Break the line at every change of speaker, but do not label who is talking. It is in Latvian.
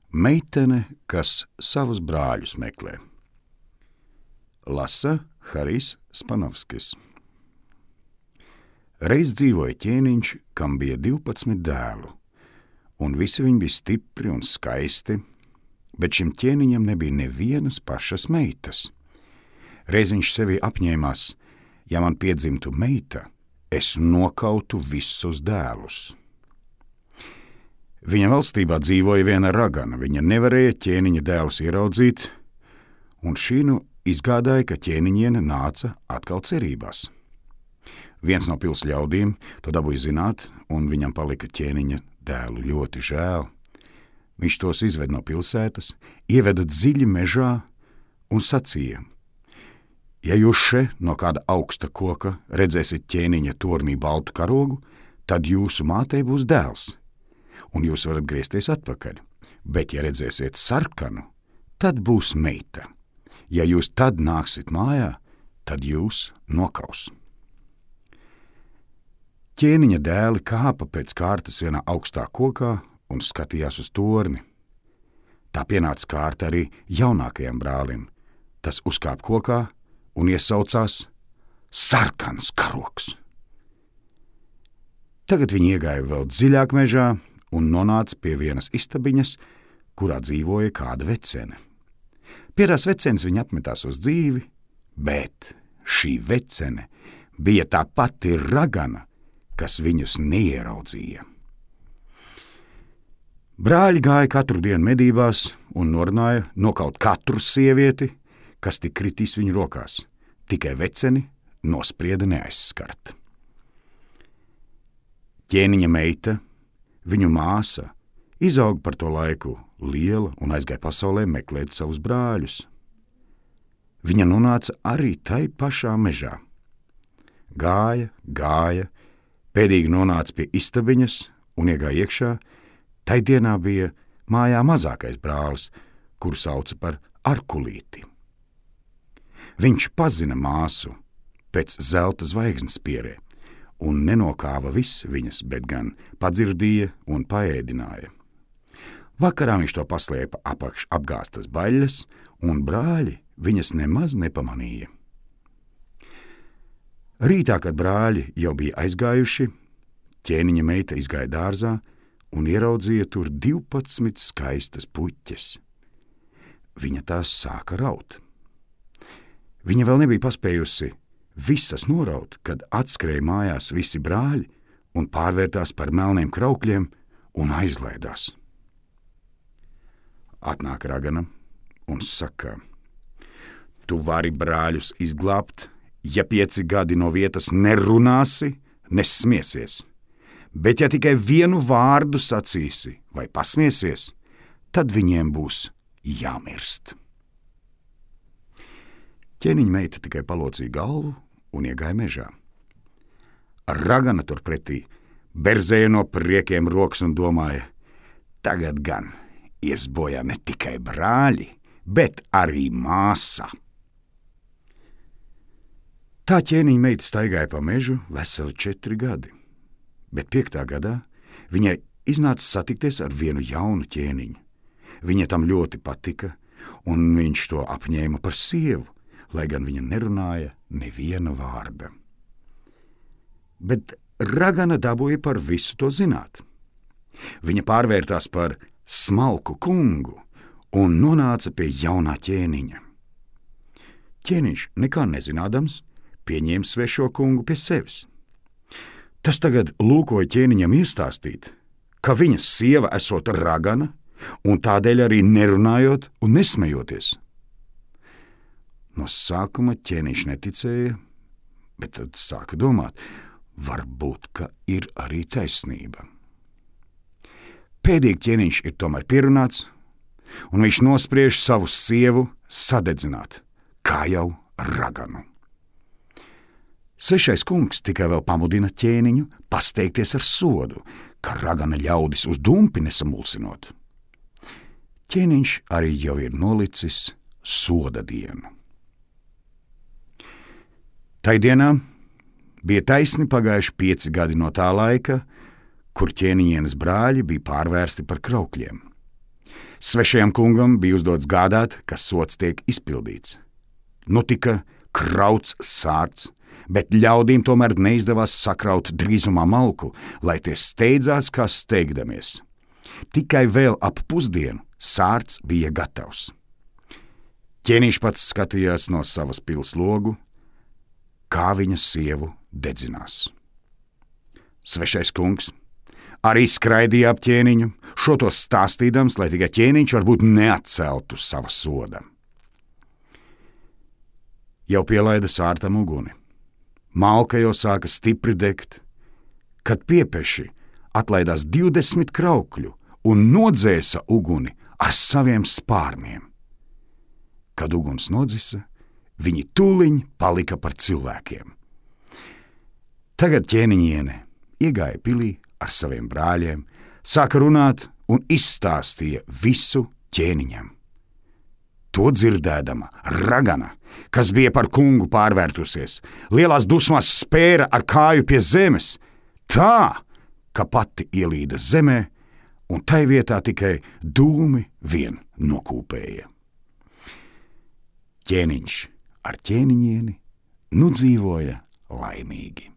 Meitene, kas savus brāļus meklē. Lasa Harijs Spanovskis. Reiz dzīvoja ķēniņš, kam bija 12 dēlu, un visi viņi bija stipri un skaisti, bet šim ķēniņam nebija nevienas pašas meitas. Reiz viņš sevi apņēmās, ja man piedzimtu meita, es nokautu visus dēlus. Viņa valstībā dzīvoja viena ragana, viņa nevarēja ķēniņa dēlus ieraudzīt, un šī izgādāja, ka ķēniņiene nāca atkal cerībās. Viens no pils ļaudīm to dabūja zināt, un viņam palika ķēniņa dēlu ļoti žēl. Viņš tos izved no pilsētas, ieveda dziļi mežā un sacīja: ja jūs še no kāda augsta koka redzēsiet ķēniņa tornī baltu karogu, tad jūsu mātei būs dēls, un jūs varat griezties atpakaļ, bet ja redzēsiet sarkanu, tad būs meita. Ja jūs tad nāksit mājā, tad jūs nokaus. Ķēniņa dēli kāpa pēc kārtas vienā augstā kokā un skatījās uz torni. Tā pienāca kārta arī jaunākajam brālim. Tas uzkāpa kokā un iesaucās: sarkans karogs! Tagad viņi iegāja vēl dziļāk mežā un nonāca pie vienas istabiņas, kurā dzīvoja kāda vecene. Pie tās vecenes viņa atmetās uz dzīvi, bet šī vecene bija tā pati ragana, kas viņus neieraudzīja. Brāļi gāja katru dienu medībās un norunāja nokaut katru sievieti, kas tik kritīs viņu rokās, tikai veceni nosprieda neaizskart. Ķēniņa meita, viņu māsa, izauga par to laiku liela un aizgāja pasaulē meklēt savus brāļus. Viņa nonāca arī tai pašā mežā. Gāja, pēdīgi nonāca pie istabiņas un iegāja iekšā. Tai dienā bija mājā mazākais brālis, kuru sauca par Arkulīti. Viņš pazina māsu pēc zelta zvaigznes spierē un nenokāva viss viņas, bet gan padzirdīja un paēdināja. Vakarā viņš to paslēpa apakš apgāstas baļļas, un brāļi viņas nemaz nepamanīja. Rītā, kad brāļi jau bija aizgājuši, ķēniņa meita izgāja dārzā un ieraudzīja tur 12 skaistas puķes. Viņa tās sāka raut. Viņa vēl nebija paspējusi visas noraut, kad atskrēja mājās visi brāļi un pārvērtās par melniem kraukļiem un aizlaidās. Atnāk ragana un saka: tu vari brāļus izglābt, ja 5 gadi no vietas nerunāsi, nesmiesies, bet ja tikai vienu vārdu sacīsi vai pasmiesies, tad viņiem būs jāmirst. Ķēniņa meita tikai palocīja galvu un iegāja mežā. Ragana turpretī berzēja no priekiem rokas un domāja: tagad gan ies bojā ne tikai brāļi, bet arī māsa. Tā ķēniņa meita staigāja pa mežu veseli 4 gadi, bet 5. gadā viņai iznāca satikties ar vienu jaunu ķēniņu. Viņa tam ļoti patika, un viņš to apņēma par sievu, lai gan viņa nerunāja neviena vārda. Bet ragana dabūja par visu to zināt. Viņa pārvērtās par smalku kungu un nonāca pie jaunā ķēniņa. Ķēniņš nekā nezinādams pieņēma svešo kungu pie sevis. Tas tagad lūkoja ķēniņam iestāstīt, ka viņas sieva esot ragana un tādēļ arī nerunājot un nesmejoties. No sākuma ķēniņš neticēja, bet tad sāka domāt, varbūt, ka ir arī taisnība. Pēdīgi ķēniņš ir tomēr pierunāts, un viņš nospriež savu sievu sadedzināt, kā jau raganu. Svešais kungs tikai vēl pamudina ķēniņu pasteikties ar sodu, ka ragana ļaudis uz dumpi nesamulsinot. Ķēniņš arī jau ir nolicis soda dienu. Tai dienā bija taisni pagājuši 5 gadi no tā laika, kur ķēniņienes brāļi bija pārvērsti par kraukļiem. Svešajam kungam bija uzdots gādāt, ka sots tiek izpildīts. Nu tika krauts sārts, bet ļaudīm tomēr neizdevās sakraut drīzumā malku, lai tie steidzās kā steigdamies. Tikai vēl ap pusdienu sārts bija gatavs. Ķēniņš pats skatījās no savas pils logu, kā viņa sievu dedzinās. Svešais kungs arī skraidīja ap ķēniņu, šo to stāstīdams, lai tikai ķēniņš varbūt neatceltu sava soda. Jau pielaida sārtam uguni. Malka jau sāka stipri degt, kad piepeši atlaidās 20 kraukļu un nodzēsa uguni ar saviem spārniem. Kad uguns nodzisa, viņi tūliņ palika par cilvēkiem. Tagad ķēniņiene iegāja pilī ar saviem brāļiem, sāka runāt un izstāstīja visu ķēniņam. To dzirdēdama ragana, kas bija par kungu pārvērtusies, lielās dusmās spēra ar kāju pie zemes, tā, ka pati ielīda zemē, un tai vietā tikai dūmi vien nokūpēja. Ķēniņš ar ķēniņieni nu dzīvoja laimīgi.